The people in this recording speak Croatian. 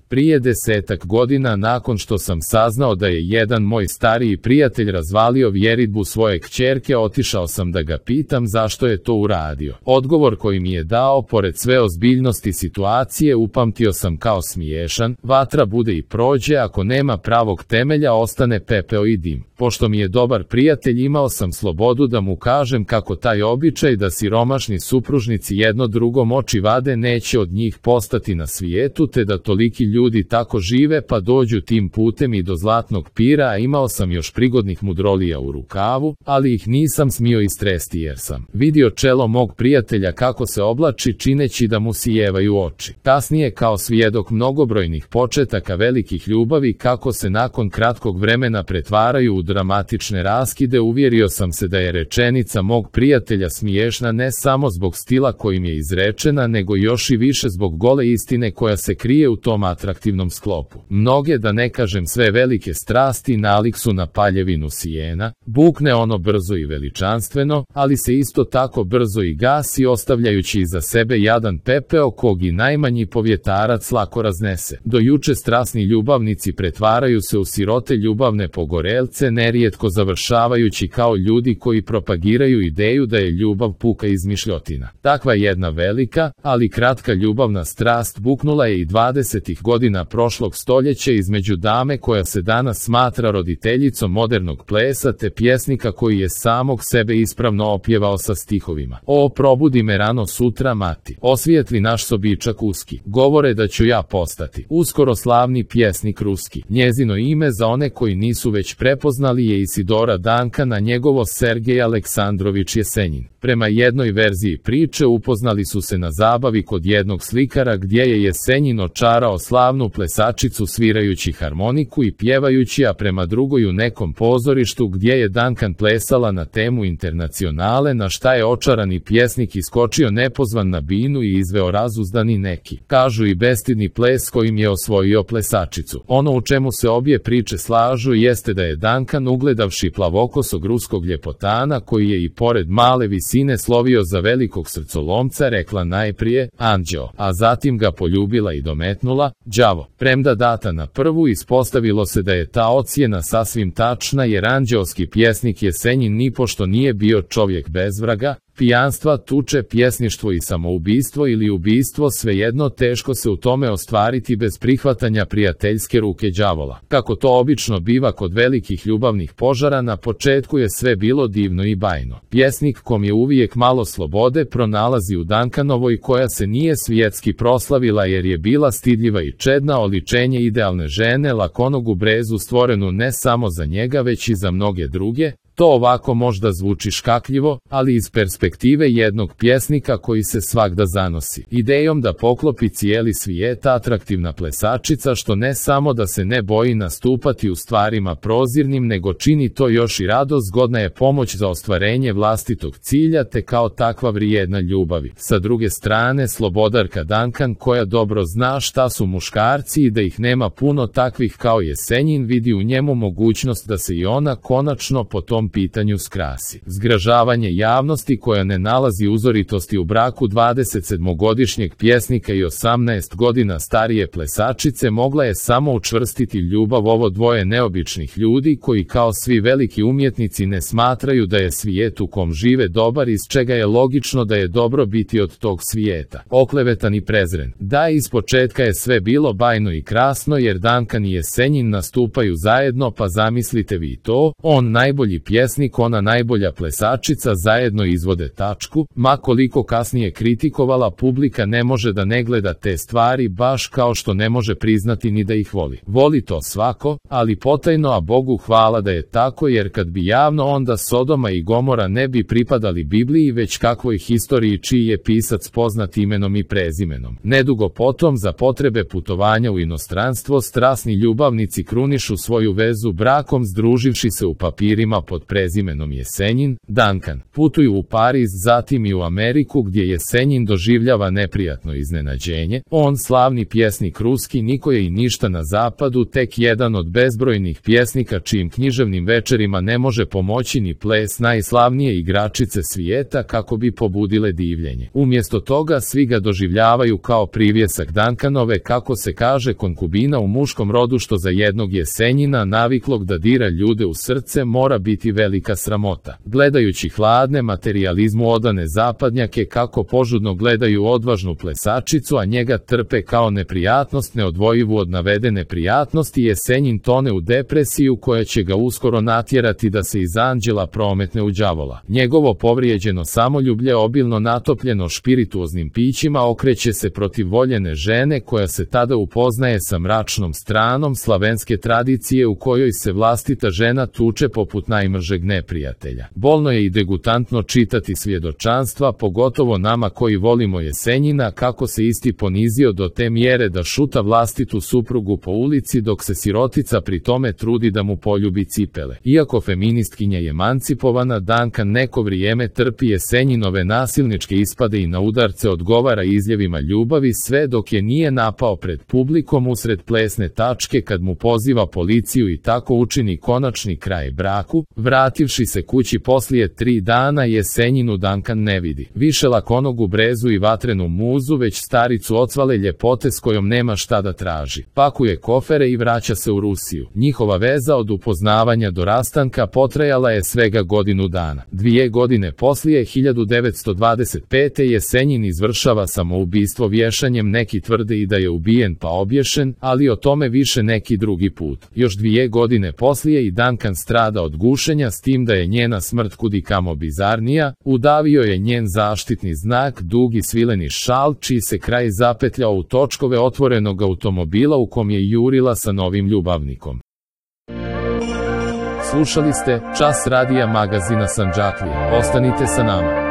Prije 10-ak godina nakon što sam saznao da je jedan moj stariji prijatelj razvalio vjeridbu svoje kćerke, otišao sam da ga pitam zašto je to uradio. Odgovor koji mi je dao, pored sve ozbiljnosti situacije, upamtio sam kao smiješan: vatra bude i prođe, ako nema pravog temelja ostane pepeo i dim. Pošto mi je dobar prijatelj, imao sam slobodu da mu kažem kako taj običaj da siromašni supružnici jedno drugom oči vade neće od njih postati na svijetu, te da toliki ljudi tako žive pa dođu tim putem i do zlatnog pira, a imao sam još prigodnih mudrolija u rukavu, ali ih nisam smio istresti jer sam vidio čelo mog prijatelja kako se oblači čineći da mu sijevaju oči. Kasnije, kao svjedok mnogobrojnih početaka velikih ljubavi kako se nakon kratkog vremena pretvaraju u dramatične raskide, uvjerio sam se da je rečenica mog prijatelja smiješna ne samo zbog stila kojim je izrečena, nego još i više zbog gole istine koja se krije u tom atraktivnom sklopu. Mnoge, da ne kažem sve velike strasti, nalik su na paljevinu sijena, bukne ono brzo i veličanstveno, ali se isto tako brzo i gasi, ostavljajući iza sebe jadan pepeo kog i najmanji povjetarac lako raznese. Do juče strasni ljubavnici pretvaraju se u sirote ljubavne pogorelce, nerijetko završavajući kao ljudi koji propagiraju ideju da je ljubav puka izmišljotina. Takva jedna velika, ali kratka ljubavna strast buknula je i 20. godina prošlog stoljeća između dame koja se danas smatra roditeljicom modernog plesa te pjesnika koji je samog sebe ispravno opjevao sa stihovima: o, probudi me rano sutra mati, osvijetli naš sobičak uski, govore da ću ja postati uskoro slavni pjesnik ruski. Njezino ime, za one koji nisu već prepoznali, je Isidora Duncan, a njegovo Sergej Aleksandrović Jesenjin. Prema jednoj verziji priče upoznali su se na zabavi kod jednog slikara gdje je Jesenjin očarao slavnu plesačicu svirajući harmoniku i pjevajući, a prema drugoj u nekom pozorištu gdje je Duncan plesala na temu Internacionale, na šta je očarani pjesnik iskočio nepozvan na binu i izveo razuzdani neki, kažu i bestidni ples kojim je osvojio plesačicu. Ono u čemu se obje priče slažu jeste da je Duncan, ugledavši plavokosog ruskog ljepotana koji je i pored male visine slovio za velikog srcolomca, rekla najprije anđeo, a zatim ga poljubila i dometnula đavo. Premda data na prvu, ispostavilo se da je ta ocjena sasvim tačna, jer anđeoski pjesnik Jesenjin nipošto nije bio čovjek bez vraga, pijanstva, tuče, pjesništvo i samoubistvo ili ubistvo, svejedno teško se u tome ostvariti bez prihvatanja prijateljske ruke đavola. Kako to obično biva kod velikih ljubavnih požara, na početku je sve bilo divno i bajno. Pjesnik, kom je uvijek malo slobode, pronalazi u Duncanovoj, koja se nije svjetski proslavila jer je bila stidljiva i čedna, oličenje idealne žene, lakonogu brezu stvorenu ne samo za njega već i za mnoge druge. To ovako možda zvuči škakljivo, ali iz perspektive jednog pjesnika koji se svagda zanosi idejom da poklopi cijeli svijet, atraktivna plesačica što ne samo da se ne boji nastupati u stvarima prozirnim, nego čini to još i rado, zgodna je pomoć za ostvarenje vlastitog cilja, te kao takva vrijedna ljubavi. Sa druge strane, slobodarka Duncan, koja dobro zna šta su muškarci i da ih nema puno takvih kao Jesenjin, vidi u njemu mogućnost da se i ona konačno po tom pitanju skrasi. Zgražavanje javnosti, koja ne nalazi uzoritosti u braku 27-godišnjeg pjesnika i 18 godina starije plesačice, mogla je samo učvrstiti ljubav ovo dvoje neobičnih ljudi koji kao svi veliki umjetnici ne smatraju da je svijet u kom žive dobar, iz čega je logično da je dobro biti od tog svijeta oklevetan i prezren. Da, ispočetka je sve bilo bajno i krasno, jer Duncan i Jesenjin nastupaju zajedno, pa zamislite vi to, on najbolji pjesnik, ona najbolja plesačica, zajedno izvode tačku. Ma koliko kasnije kritikovala, publika ne može da ne gleda te stvari, baš kao što ne može priznati ni da ih voli. Voli to svako, ali potajno, a Bogu hvala da je tako, jer kad bi javno, onda Sodoma i Gomora ne bi pripadali Bibliji već kakvoj historiji čiji je pisac poznat imenom i prezimenom. Nedugo potom, za potrebe putovanja u inostranstvo, strasni ljubavnici krunišu svoju vezu brakom, združivši se u papirima pod pod prezimenom Jesenjin, Duncan. Putuju u Pariz, zatim i u Ameriku gdje Jesenjin doživljava neprijatno iznenađenje. On, slavni pjesnik ruski, niko je i ništa na zapadu, tek jedan od bezbrojnih pjesnika čijim književnim večerima ne može pomoći ni ples najslavnije igračice svijeta kako bi pobudile divljenje. Umjesto toga svi ga doživljavaju kao privjesak Duncanove, kako se kaže, konkubina u muškom rodu, što za jednog Jesenjina, naviklog da dira ljude u srce, mora biti velika sramota. Gledajući hladne, materijalizmu odane zapadnjake kako požudno gledaju odvažnu plesačicu, a njega trpe kao neprijatnost neodvojivu od navedene prijatnosti, Jesenjin tone u depresiju koja će ga uskoro natjerati da se iz anđela prometne u đavola. Njegovo povrijeđeno samoljublje, obilno natopljeno špirituoznim pićima, okreće se protiv voljene žene koja se tada upoznaje sa mračnom stranom slavenske tradicije u kojoj se vlastita žena tuče poput najmržeg neprijatelja. Bolno je i degutantno čitati svjedočanstva, pogotovo nama koji volimo Jesenjina, kako se isti ponizio do te mjere da šuta vlastitu suprugu po ulici dok se sirotica pri tome trudi da mu poljubi cipele. Iako feministkinja je emancipovana, Duncan neko vrijeme trpi Jesenjinove nasilničke ispade i na udarce odgovara izljevima ljubavi, sve dok je nije napao pred publikom usred plesne tačke kad mu poziva policiju i tako učini konačni kraj braku. Vrativši se kući poslije 3 dana, Jesenjinu Duncan ne vidi više lakonogu brezu i vatrenu muzu, već staricu ocvale ljepote s kojom nema šta da traži. Pakuje kofere i vraća se u Rusiju. Njihova veza od upoznavanja do rastanka potrajala je svega godinu dana. 2 godine poslije, 1925. Jesenjin izvršava samoubistvo vješanjem, neki tvrde i da je ubijen pa obješen, ali o tome više neki drugi put. Još 2 godine poslije i Duncan strada od gušenja, s tim da je njena smrt kudikamo bizarnija. Udavio je njen zaštitni znak, dugi svileni šal, čiji se kraj zapetljao u točkove otvorenog automobila u kom je jurila sa novim ljubavnikom. Slušali ste Čas radija magazina Sandžaklija. Ostanite sa nama.